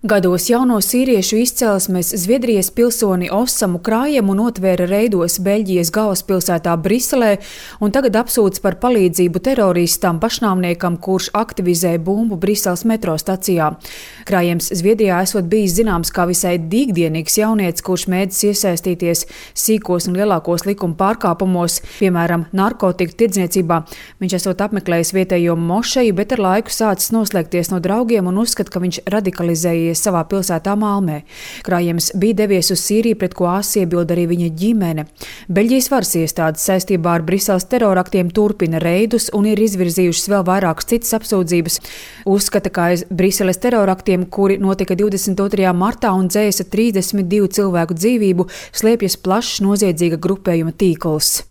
Gados jauno sīriešu izcelsmes Zviedrijas pilsoni Ossamu Krājemu notvēra reidos Beļģijas galvaspilsētā Briselē un tagad apsūdz par palīdzību teroristam pašnāvniekam, kurš aktivizēja bumbu Briseles metro stacijā. Krājams Zviedrijā esot bijis zināms kā visai dīgdienīgs jaunietis, kurš mēģis iesaistīties sīkos un lielākos likuma pārkāpumos, piemēram, narkotiku tirdzniecībā. Viņš esot apmeklējis vietējo mošeju, bet ar laiku sācis noslēgties no draugiem un uzskata, ka viņš radikalizējies savā pilsētā Malmē. Krājams bija devies uz Sīriju, pret ko asi iebilda arī viņa ģimene. Beļģijas varas iestādes saistībā ar Briseles teroraktiem turpina reidus un ir izvirzījušas vēl vairākas citas apsūdzības. Uzskata, ka aiz Briseles teroraktiem, kuri notika 22. martā un dzēsa 32 cilvēku dzīvību, slēpjas plašs noziedzīga grupējuma tīkls.